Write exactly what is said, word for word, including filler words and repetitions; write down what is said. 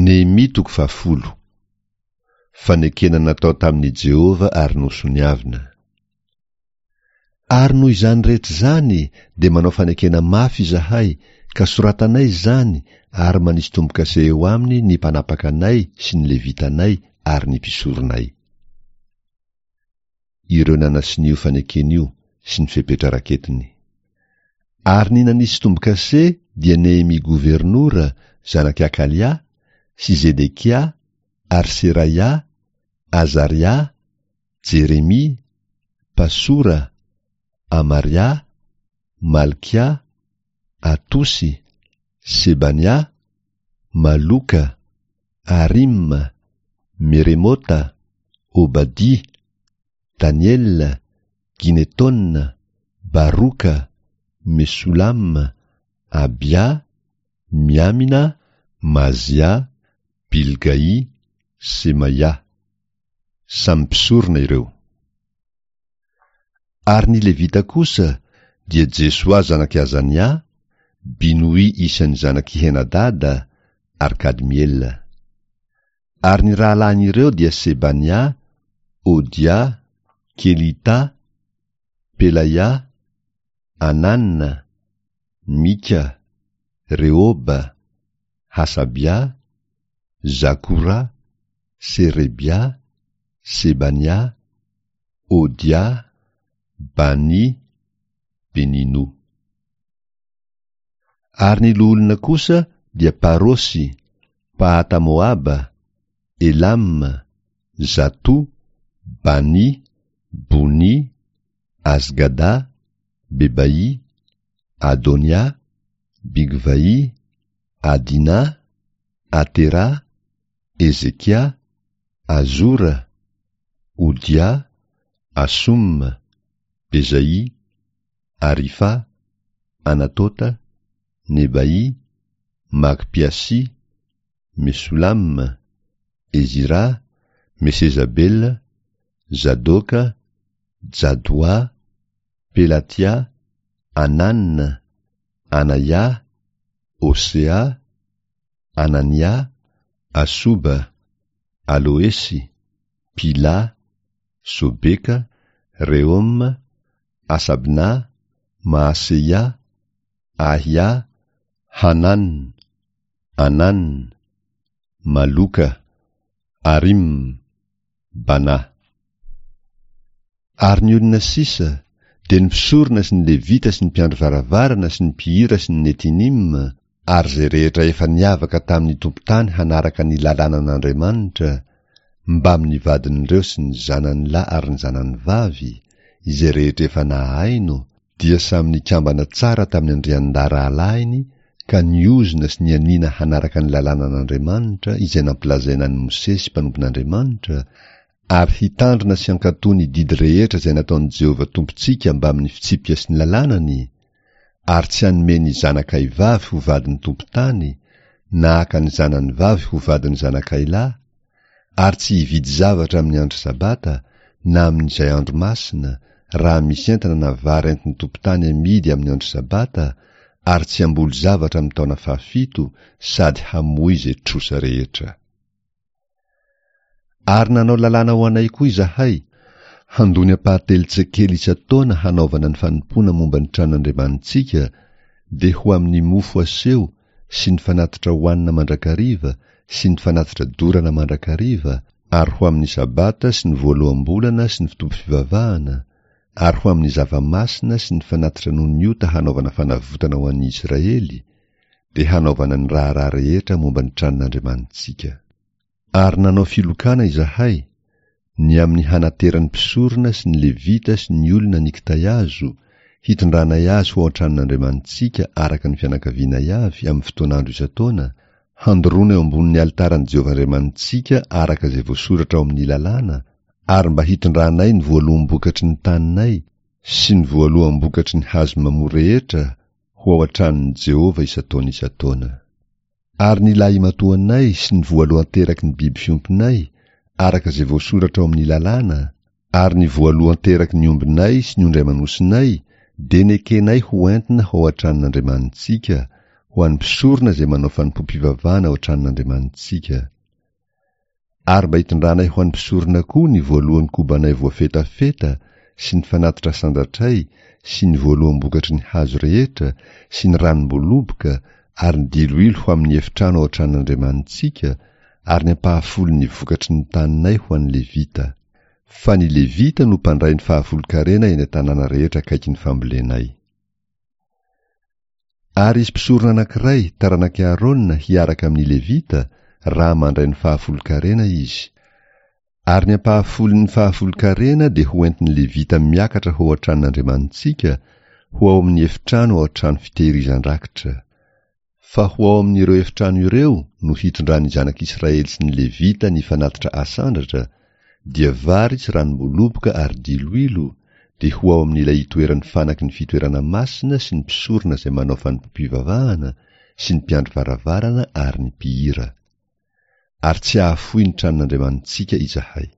Nehemia toko fahafolo. Fanekena natao tamin'i Jehovah ary nosoniavina. Ary noho izany rehetra izany dia manao fanekena mafy izahay, ka soratanay izany ary manisy tombo-kase eo aminy ny mpanapaka anay sy ny Levitanay ary ny mpisoronay. Ireo nanasonia io fanekena io sy ny fepetra raketiny. Ary ny nanisy tombo-kase dia Nehemia governora, zanak'i Akalia, sy Zedekia, ary Seraia, Azaria, Jeremia, Pasora, Amaria, Malkia, Atosy, Sebania, Maloka, Arima, Meremota, Obadia, Daniela, Ginetona, Baroka, Mesolama, Abia, Miamina, Mazia, Bilgai, Semaia. Samy mpisorona ireo. Ary ny Levita kosa dia Jesoa zanak'i Azania, Binoy isan'ny zanak'i Henadada, ary Kadmiela. Ary ny rahalahin'ireo dia Sebania, Odia, Kelita, Pelaia, Anana, Mika, Rehoba, Hasabia, Zakora, Serebia, Sebania, Odia, Bani, Benino. Ary ny loholona kosa dia Parosy, Pahata-Moaba, Elam, Zato, Bani, Boni, Azgada, Bebai, Adonia, Bigvai, Adina, Atera, Ezekia, Azora, Odia, Asum, Bezai, Arifa, Anatota, Nebai, Magpiasi, Mesolam, Ezira, Mesezabela, Zadoka, Jadoa, Pelatia, Anan, Anaya, Osea, Anania, Asoba, Aloesy, Pila, Sobeka, Reoma, Asabna, Maaseia, Ahia, Hanan, Anan, Maloka, Arim, Bana. Ary ny olona sisa, dia ny mpisorona sy ny Levita sy ny mpiandry varavarana sy ny mpihira sy ny Netinim, ary izay rehetra efa niavaka tamin'ny tompon-tany hanaraka ny lalànan'Andriamanitra, mbamin'ny vadin'ireo sy ny zanany lahy ary ny zanany vavy, izay rehetra efa nahaino, dia samy nikambana tsara tamin'ny andriandahy rahalahiny ka niozona sy nianiana hanaraka ny lalànan'Andriamanitra izay nampilazaina an'i Mosesy mpanompon'Andriamanitra, ary hitandrina sy hankatò ny didy rehetra izay nataon'i Jehovah Tompontsika mbamin'ny fitsipika sy ny lalànany, ary tsy hanome ny zanakay vavy ho vadin'ny tompon-tany, na haka ny zanany vavy ho vadin'ny zanakay lahy, ary tsy hividy zavatra amin'ny andro sabata, na amin'izay andro masina, raha misy entana na vary entin'ny tompon-tany amidy amin'ny andro sabata, ary tsy hamboly zavatra amin'ny taona fahafito, sady hamoy izay trosa rehetra. Ary nanao lalàna ho anay koa izahay, handoa ny ampahatelon-tsekely isan-taona hanaovana ny fanompoana momba ny tranon'Andriamanitsika, dia ho amin'ny mofo aseho sy ny fanatitra hohanina mandrakariva sy ny fanatitra dorana mandrakariva, ary ho amin'ny sabata sy ny voaloham-bolana sy ny fotoam-pivavahana, ary ho amin'ny zava-masina sy ny fanatitra noho ny ota hanaovana fanavotana ho an'ny Israely, dia hanaovana ny raharaha rehetra momba ny tranon'Andriamanitsika. Ary nanao filokana izahay, ny amin'ny hanateran'ny mpisorona sy ny Levita sy ny olona ny kitay azo, hitondranay azy ho ao an-tranon'Andriamanitsika araka ny fianakavianay avy amin'ny fotoan'andro isan-taona, handoroana eo ambonin'ny alitaran'i Jehovah Andriamanitsika araka izay voasoratra ao amin'ny lalàna, ary mba hitondranay ny voaloham-bokatry ny taninay sy ny voaloham-bokatry ny hazo mamoa rehetra ho ao an-tranon'i Jehovah isan-taona isan-taona. Ary ny lahimatoanay sy ny voalohan-teraky ny biby fiompinay, araka izay voasoratra ao amin'ny lalàna, ary ny voalohan-teraky ny ombinay sy ny ondry aman'osinay, dia nekenay ho entina ho ao an-tranon'Andriamanitsika, ho an'ny mpisorona izay manao fanompoam-pivavahana ao an-tranon'Andriamanitsika. Ary mba hitondranay ho an'ny mpisorona koa ny voalohan'ny kobanay voafetafeta sy ny fanatitra sandratray sy ny voaloham-bokatry ny hazo rehetra sy ny ranom-boloboka ary ny diloilo ho amin'ny efitrano ao an-tranon'Andriamanitsika ary ny ampahafolon'ny vokatry ny taninay ho an'ny Levita. Fa ny Levita no mpandray ny fahafolon-karena eny an-tanàna rehetra akaiky ny fambolenay. Ary hisy mpisorona anankiray taranak'i Aarona hiaraka amin'ny Levita raha mandray ny fahafolon-karena izy. Ary ny ampahafolon'ny fahafolon-karena dia ho entin'ny Levita miakatra ho ao an-tranon'Andriamanitsika, ho ao amin'ny efitrano ao an-trano fitehirizan-drakitra. Fa ho ao amin'ireo efitrano ireo no hitondran'ny zanak'Israely sy ny Levita ny fanatitra asandratra, dia vary sy ranom-boloboka ary diloilo, dia ho ao amin'ilay itoeran'ny fanaky ny fitoerana masina sy ny mpisorona izay manao fanompoam-pivavahana sy ny mpiandry varavarana ary ny mpihira. Ary tsy hahafoy ny tranon'Andriamanitsika izahay.